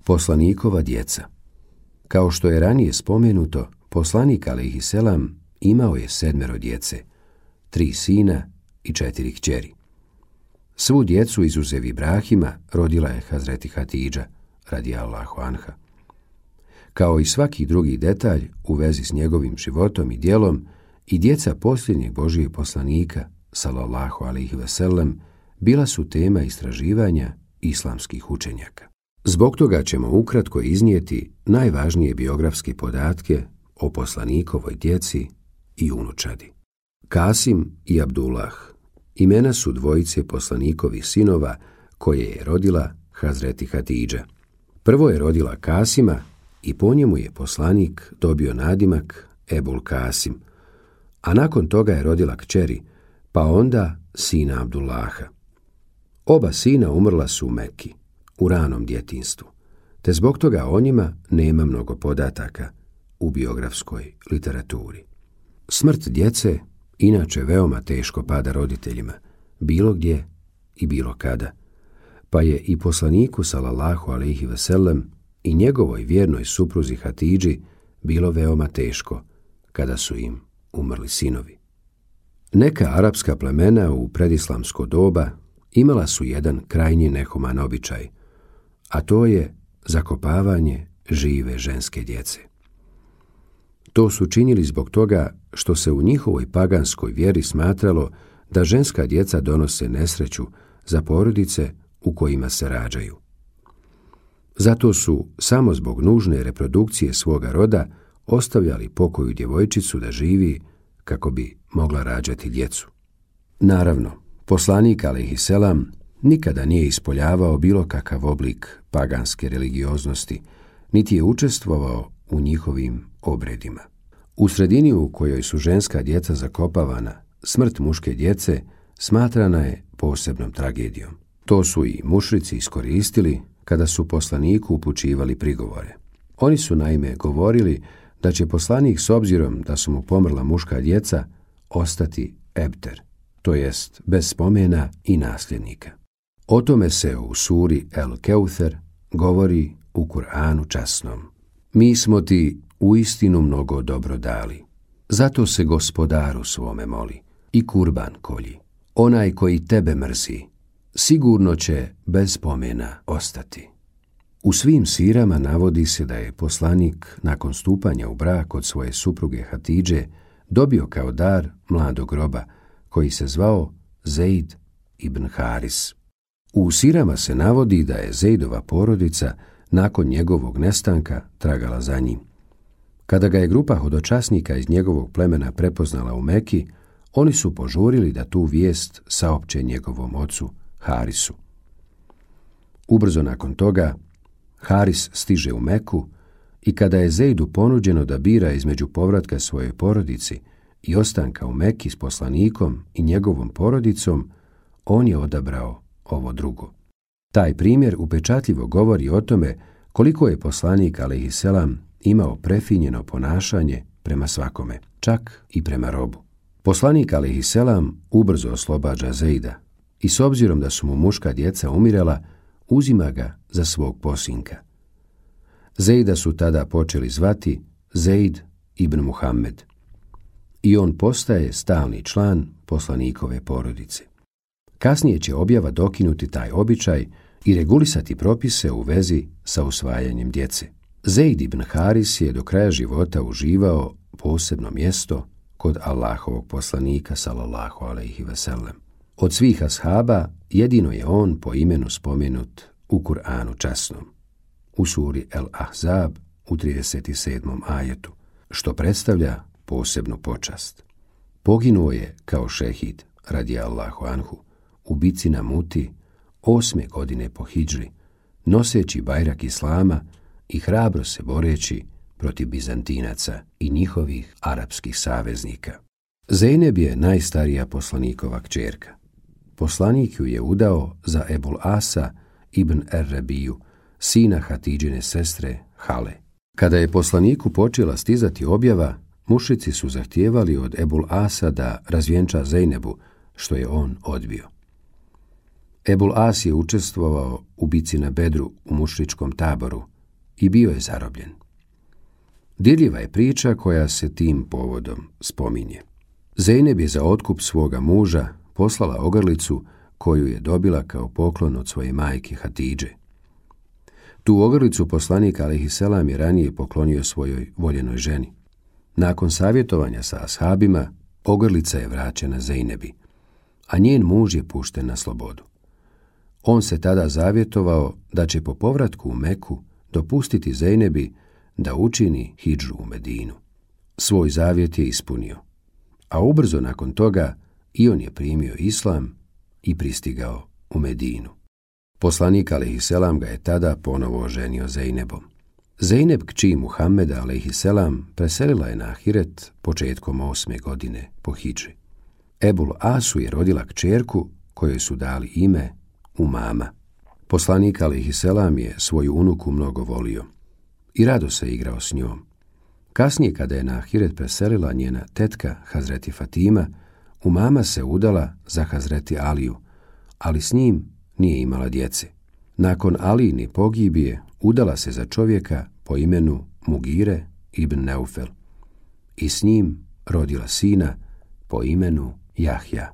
Poslanikova djeca. Kao što je ranije spomenuto, poslanik alejhiselam imao je 7 djece, 3 sina i 4 kćeri. Svu djecu izuzev Ibrahima rodila je Hazreti Hatidža, radijallahu anha. Kao i svaki drugi detalj u vezi s njegovim životom i djelom, i djeca posljednjeg Božijeg poslanika, sallallahu alejhi ve sellem, bila su tema istraživanja islamskih učenjaka. Zbog toga ćemo ukratko iznijeti najvažnije biografske podatke o poslanikovoj djeci i unučadi. Kasim i Abdullah imena su dvojice poslanikovih sinova koje je rodila Hazreti Hatidža. Prvo je rodila Kasima i po njemu je poslanik dobio nadimak Ebul Kasim, a nakon toga je rodila kćeri, pa onda sina Abdullaha. Oba sina umrla su u Mekki, u ranom djetinjstvu, te zbog toga o njima nema mnogo podataka u biografskoj literaturi. Smrt djece inače veoma teško pada roditeljima, bilo gdje i bilo kada, pa je i poslaniku sallallahu alejhi ve sellem i njegovoj vjernoj supruzi Hatidži bilo veoma teško kada su im umrli sinovi. Neka arapska plemena u predislamsko doba imala su jedan krajnje nehuman običaj, a to je zakopavanje žive ženske djece. To su činili zbog toga što se u njihovoj paganskoj vjeri smatralo da ženska djeca donose nesreću za porodice u kojima se rađaju. Zato su samo zbog nužne reprodukcije svoga roda ostavljali pokoju djevojčicu da živi kako bi mogla rađati djecu. Naravno, poslanik alejhiselam nikada nije ispoljavao bilo kakav oblik paganske religioznosti, niti je učestvovao u njihovim obredima. U sredini u kojoj su ženska djeca zakopavana, smrt muške djece smatrana je posebnom tragedijom. To su i mušrici iskoristili kada su poslaniku upućivali prigovore. Oni su naime govorili da će poslanik s obzirom da su mu pomrla muška djeca ostati ebter, to jest bez spomena i nasljednika. O tome se u suri El Keuther govori u Kur'anu časnom. Mi smo ti uistinu mnogo dobro dali, zato se Gospodaru svome moli i kurban kolji. Onaj koji tebe mrzi, sigurno će bez spomena ostati. U svim sirama navodi se da je poslanik nakon stupanja u brak od svoje supruge Hatidže dobio kao dar mladog roba koji se zvao Zeid ibn Haris. U sirama se navodi da je Zeidova porodica nakon njegovog nestanka tragala za njim. Kada ga je grupa hodočasnika iz njegovog plemena prepoznala u Meki, oni su požurili da tu vijest saopće njegovom ocu Harisu. Ubrzo nakon toga Haris stiže u Meku i kada je Zeidu ponuđeno da bira između povratka svojoj porodici i ostanka u Meki s poslanikom i njegovom porodicom, on je odabrao ovo drugo. Taj primjer upečatljivo govori o tome koliko je poslanik alejhiselam imao prefinjeno ponašanje prema svakome, čak i prema robu. Poslanik alejhiselam ubrzo oslobađa Zeida i s obzirom da su mu muška djeca umirala, uzima ga za svog posinka. Zeida su tada počeli zvati Zeid ibn Muhammed i on postaje stalni član poslanikove porodice. Kasnije će objava dokinuti taj običaj i regulisati propise u vezi sa usvajanjem djece. Zeid ibn Haris je do kraja života uživao posebno mjesto kod Allahovog poslanika sallallahu alejhi ve sellem. Od svih ashaba jedino je on po imenu spomenut u Kur'anu časnom, u suri El Ahzab u 37. ajetu, što predstavlja posebnu počast. Poginuo je kao šehid radijallahu anhu u bici na Muti 8. godine po hidžri, noseći bajrak islama i hrabro se boreći protiv Bizantinaca i njihovih arapskih saveznika. Zejneb je najstarija poslanikova kćerka. Poslanik ju je udao za Ebul Asa ibn Er-Rebiju, sina Hatidžine sestre Hale. Kada je poslaniku počela stizati objava, mušici su zahtijevali od Ebul Asa da razvjenča Zejnebu, što je on odbio. Ebul As je učestvovao u bici na Bedru u mušričkom taboru i bio je zarobljen. Dirljiva je priča koja se tim povodom spominje. Zejneb je za otkup svoga muža poslala ogrlicu koju je dobila kao poklon od svoje majke Hatidže. Tu ogrlicu poslanik alejhiselam je ranije poklonio svojoj voljenoj ženi. Nakon savjetovanja sa ashabima, ogrlica je vraćena Zejnebi, a njen muž je pušten na slobodu. On se tada zavjetovao da će po povratku u Meku dopustiti Zejnebi da učini hidžu u Medinu. Svoj zavjet je ispunio, a ubrzo nakon toga i on je primio islam i pristigao u Medinu. Poslanik alejhiselam ga je tada ponovo oženio Zejnebom. Zejneb kći Muhammeda alejhiselam preselila je na ahiret početkom 8. godine po hidži. Ebul Asu je rodila kćerku kojoj su dali ime Umama. Poslanik alejhiselam je svoju unuku mnogo volio i rado se igrao s njom. Kasnije, kada je na ahiret preselila njena tetka Hazreti Fatima, Umama se udala za Hazreti Aliju, ali s njim nije imala djece. Nakon Alijine pogibije udala se za čovjeka po imenu Mugire ibn Neufel i s njim rodila sina po imenu Jahja.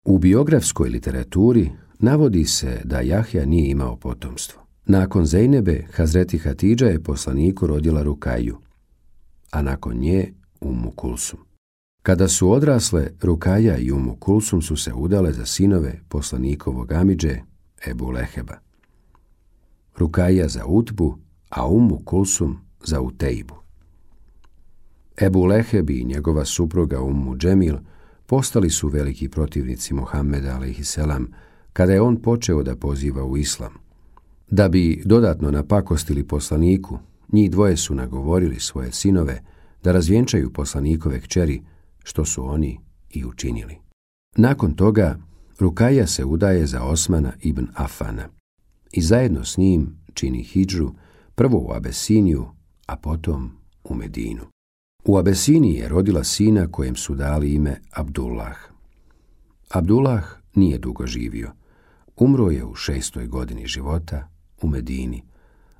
U biografskoj literaturi navodi se da Jahja nije imao potomstvo. Nakon Zejnebe, Hazreti Hatidža je poslaniku rodila Rukaju, a nakon nje Ummu Kulsum. Kada su odrasle, Rukaja i Ummu Kulsum su se udale za sinove poslanikovog amidže Ebu Leheba. Rukaja za Utbu, a Ummu Kulsum za Utejbu. Ebu Leheb i njegova supruga Ummu Džemil postali su veliki protivnici Muhammeda alejhiselam kada je on počeo da poziva u islam. Da bi dodatno napakostili poslaniku, njih dvoje su nagovorili svoje sinove da razvjenčaju poslanikove kćeri, što su oni i učinili. Nakon toga, Rukaja se udaje za Osmana ibn Afana i zajedno s njim čini hidžu prvo u Abesiniju, a potom u Medinu. U Abesiniji je rodila sina kojem su dali ime Abdullah. Abdullah nije dugo živio. Umro je u 6. godini života u Medini,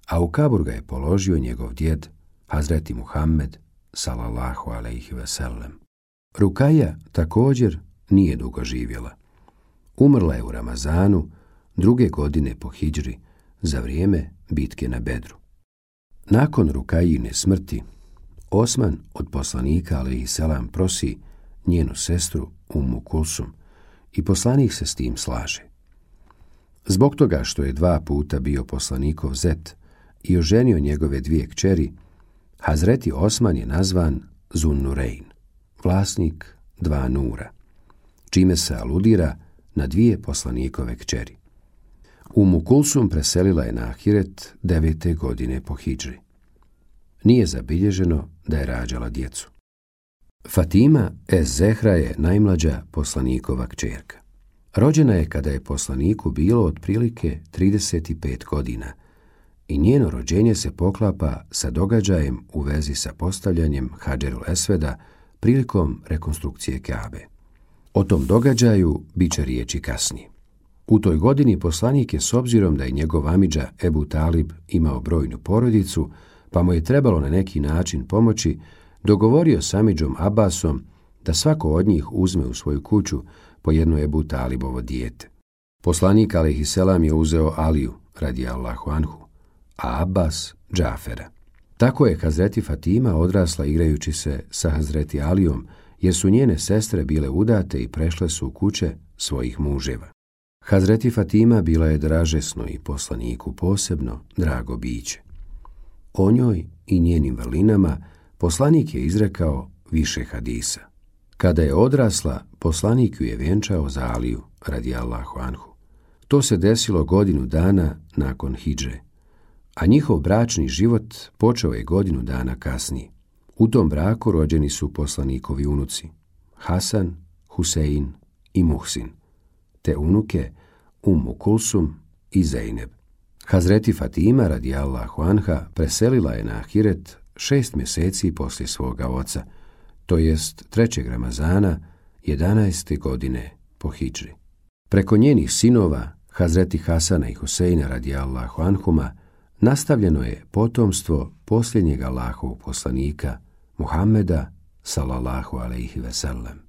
a u kabur ga je položio njegov djed Hazreti Muhammed sallallahu alejhi ve sellem. Rukaja također nije dugo živjela. Umrla je u Ramazanu 2. godine po hidžri za vrijeme bitke na Bedru. Nakon Rukajine smrti, Osman od poslanika alejhiselam prosi njenu sestru Ummu Kulsum i poslanik se s tim slaže. Zbog toga što je 2 puta bio poslanikov zet i oženio njegove 2 kćeri, Hazreti Osman je nazvan Zunnurein, vlasnik 2 nura, čime se aludira na 2 poslanikove kćeri. Ummu Kulsum preselila je na ahiret 9. godine po hidžri. Nije zabilježeno da je rađala djecu. Fatima ez-Zehra je najmlađa poslanikova kćerka. Rođena je kada je poslaniku bilo otprilike 35 godina i njeno rođenje se poklapa sa događajem u vezi sa postavljanjem Hadžerul Esveda prilikom rekonstrukcije Kabe. O tom događaju bit će riječi kasnije. U toj godini poslanik je, s obzirom da je njegov amidža Ebu Talib imao brojnu porodicu, pa mu je trebalo na neki način pomoći, dogovorio s amidžom Abbasom da svako od njih uzme u svoju kuću po jedno Ebu Talibovo dijete. Poslanik alejhiselam je uzeo Aliju radijallahu anhu, a Abbas Džafera. Tako je Hazreti Fatima odrasla igrajući se sa Hazreti Alijom, jer su njene sestre bile udate i prešle su u kuće svojih muževa. Hazreti Fatima bila je dražesno i poslaniku posebno drago biće. O njoj i njenim vrlinama poslanik je izrekao više hadisa. Kada je odrasla, poslanik ju je vjenčao za Aliju radijallahu anhu. To se desilo 1 godinu dana nakon hidže, a njihov bračni život počeo je 1 godinu dana kasnije. U tom braku rođeni su poslanikovi unuci Hasan, Husein i Muhsin, te unuke Ummu Kulsum i Zejneb. Hazreti Fatima radijallahu anha preselila je na ahiret 6 mjeseci poslije svoga oca, to jest 3. Ramazana 11. godine po hidžri. Preko njenih sinova, Hazreti Hasana i Huseina radijallahu anhuma, nastavljeno je potomstvo posljednjeg Allahovog poslanika, Muhammeda sallallahu alejhi ve sellem.